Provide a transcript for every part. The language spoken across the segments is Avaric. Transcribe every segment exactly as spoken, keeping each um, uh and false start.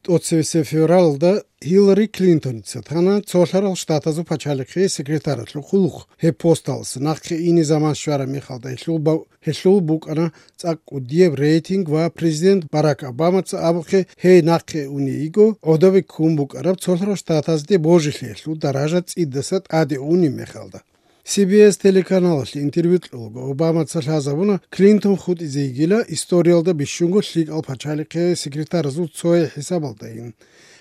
ТӀоцевесеб февралалда Гьиллари Клинтоница тана Цолъарал Штатазул пачалихъе секретаралъул хъулухъ. Гьеб посталъ нахъе ине заман щвараб мехалда гьелъул ба-, гьелъул букӀана цӀакъ кӀудияб рейтинг ва президент Барак Обамаца абухъе гьей нахъе уней йиго гӀодобе ккун букӀараб Цолъарал Штатазде божилъиялъул даража цӀидаса тӀаде унеб мехалда. Си Би Эс телеканалалъе интервью кьолаго Обамаца лъазабуна Клинтон хутӀизе йигила историялда бищунго лъикӀал пачалихъе секретаразул цое хӀисабалдайин.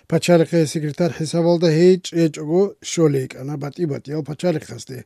Пачалихъе секретарь хӀисабалда гьей чӀечӀого щолей йикӀана батӀи-батӀиял пачалихъазде.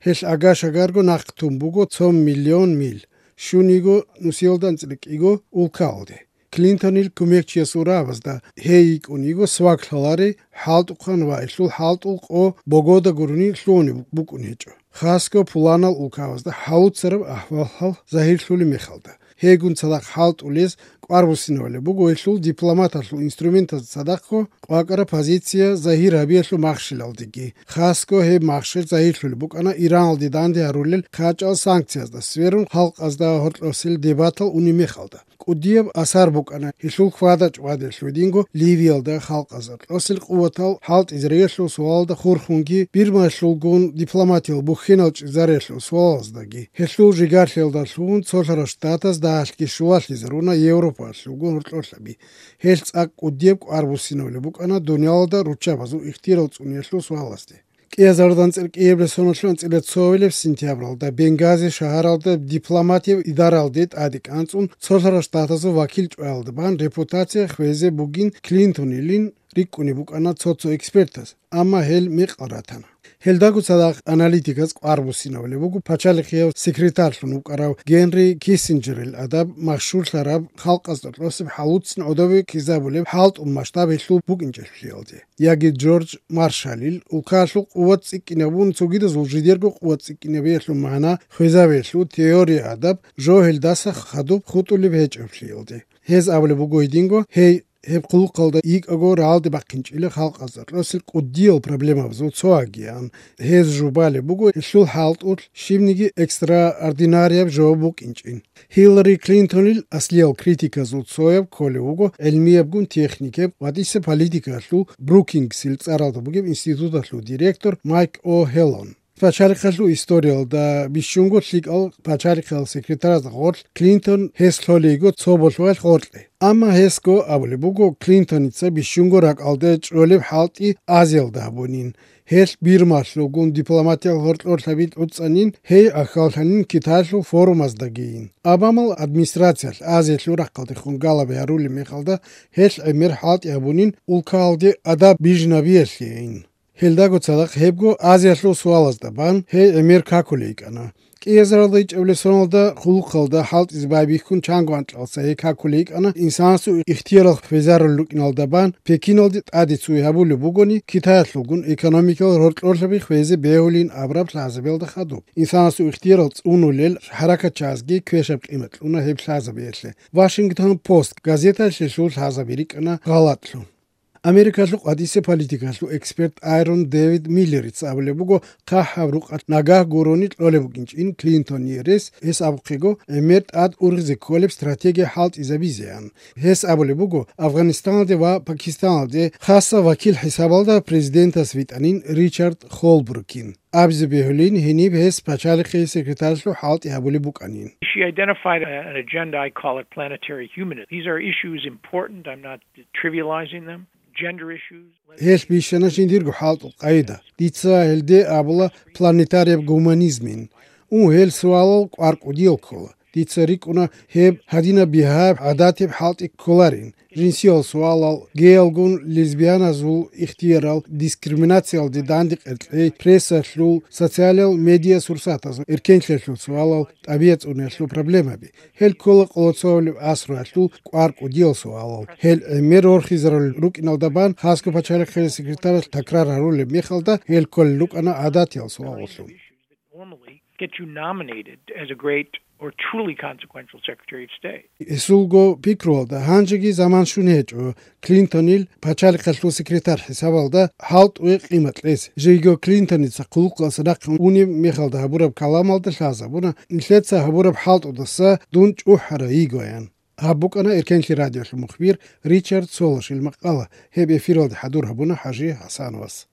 Гьелъ ага-шагарго нахъ тун буго цо миллион мил, щун йиго нусиялда анцӀила кӀиго улкаялде. Клинтонил кумекчиясул рагӀабазда гьей йикӀун йиго свак лъалари хӀалтӀухъан ва гьелъул хӀалтӀул къо богода гурони лъугьунеб букӀун гьечӀо, хасго пуланал улкабазда хӀалуцараб ахӀвал-хӀал загьирлъулеб мехалда. Гьейгун цадахъ хӀалтӀулез кӀвар буссинабулеб буго гьелъул дипломаталъул инструментазда цадахъго къвакӀараб позиция загьир гьабиялъул махщелалдеги. Хасго гьеб махщел загьирлъулеб букӀана Ираналде данде гьарулел хъачӀал санкциязда сверун, халкъазда гьоркьосел дебатал унеб мехалда. КӀудияб асар букӀана гьелъул хьвада-чӀвадиялъул динго Ливиялда халкъазда кьосел къуватал хӀалтӀизариялъул суалалда хурхунги, Бирмаялъулгун дипломатиял бухьинал чӀезариялъул суалаздаги. Гьелъул жигарлъиялдалъун Цолъарал Штатаз дагьалъги щулалъизаруна Европаялъулгун гьоркьорлъаби. Гьелъ цӀакъ кӀудияб кӀвар буссинабулеб букӀана дуниялалда руччабазул ихтияр цӀуниялъул суалазде. КӀиазардан цӀеркӀияб ресоналъул анцӀила цовилеб сентябралда Бенгази шагьаралда дипломатияб идаралде тӀаде кӀанцӀун Цолъарал Штатазул вакил чӀваялда бан репутация хвезе бугин Клинтонилин рикӀкӀунеб букӀана цо-цо экспертаз, амма гьел мекъал ратана. Гьелдаго цадахъ аналитиказ кӀвар буссинабулеб буго пачалихъияв секретарьлъун вукӀарав Генри Киссинджерил адаб машгьурлъараб халкъазда кьосеб хӀалуцин гӀодобе ккезабулеб хӀалтӀул масштаб гьелъул букӀинчӀелъиялде. Яги Джордж Маршалил улкалъул къуват цӀикӀкӀинабун цогидазул жидерго къуват цӀикӀкӀинабиялъул магӀна хвезабиялъул теория адаб жо гьелдаса хадуб хутӀулеб гьечӀеблъиялде. Гьез абулеб буго гьединго, гьей гьеб хъулухъалда йикӀаго рагӀалде бахъинчӀила халкъазда кьосел кӀудиял проблемабазул цоагиян. Гьез жубалеб буго гьелъул хӀалтӀулъ щибниги экстраординарияб жо букӀинчӀин. Гьиллари Клинтонил аслиял критиказул цояб кколев вуго гӀилмиябгун техникаб ва тӀиса политикалъул Брукингсил цӀаралда бугеб институталъул директор Майк О'Хеллон. Пачалихъалъул историялда бищунго лъикӀал пачалихъал секретараз гъорлъ Клинтон гьес лъолейго цо болъугьал гъоркье. Амма гьесго абулеб буго, Клинтоница бищунго ракӀалде чӀолеб хӀалтӀи Азиялда гьабунин. Гьелъ Бирмалъулгун дипломатиял гьоркьорлъаби тӀуцӀанин, гьей ахьаллъанин Китайлъул форумаздагийин. Обамал администрациялъ Азиялъул рахъалдехун галаби гьарулеб мехалда, гьелъ гӀемер хӀалтӀи гьабунин улкаялде адаб бижнабиялъейин. Гьелдаго цадахъ гьебго Азиялъул суалазда бан гьей гӀемер какулей йикӀана. КӀиазаралда ичӀабилеб соналда хъулухъалда хӀалтӀизе байбихьун чанго анкьалца гьей какулей йикӀана, инсанасул ихтиярал хвезарулел рукӀиналда бан Пекиналде тӀаде цуе гьабулеб бугони, Китаялъулгун экономикал гьоркьорлъаби хвезе бегьулин абураб лъазабиялда хадуб. Инсанасул ихтиярал цӀунулел хӀаракатчазги квешаб къимат кьуна гьеб лъазабиялъе. Вашингтон Пост газеталъ гьелъул лъазаби рикӀкӀана гъалатӀлъун. Америкалъул къватӀиса политикалъул эксперт Айрон Дэвид Миллерица абулеб буго, хъахӀаб рукъалъ нагагь гурони кьолеб букӀинчӀин Клинтоние рес, гьес абухъего, гӀемер тӀад ургъизе кколеб стратегия хӀалтӀизабизеян. Гьес абулеб буго, Афганистаналде ва Пакистаналде хасаб вакил хӀисабалда президентас витӀанин Ричард Холбрукин. Абизе бегьулин, гьениб гьес пачалихъе секретарьлъул хӀалтӀи гьабулеб букӀанин. She identified a- an agenda, I call it planetary humanism. These are issues important, I'm not trivializing them. Gender issues. Гьелъ бищана жиндирго хӀалтӀул къайда. Дица гьелде абула планетарияб гуманизмин. Ун, гьел суалал кӀвар кӀудиял ккола. Дица рикӀкӀуна гьеб гьадинаб бигьаяб гӀадатиб хӀалтӀи кколарин. Жинсиял суалал, геялгун лесбияназул ихтиярал, дискриминациялде дандекъер кьей, прессалъул, социалал медиа сурсатазул эркенлъиялъул суалал, тӀабигӀат цӀуниялъул проблемаби. Гьел ккола къоло цоабилеб асруялъул кӀвар кӀудиял суалал. Гьел гӀемер рорхизарулел рукӀиналда бан хасго пачалихъе секретаралъ такрар гьарулеб мехалда, гьел кколел рукӀана гӀадатиял суалаллъун. Normally get you nominated as a great or truly consequential Secretary of State. Гьесулго пикруялда гьанжеги заман щун гьечӀо Клинтонил пачалихъалъул секретарь хӀисабалда хӀалтӀуе къимат кьес. Жийго Клинтоница хъулухъалъа нахъе унеб мехалда гьабураб каламалда лъазабуна, нилъеца гьабураб хӀалтӀудаса дун чӀухӀара йигоян. Гьаб букӀана Эркенлъи радиолъул мухбир Ричард Солошил макъала, гьеб эфиралда хӀадур гьабуна ХӀажи ХӀасановас.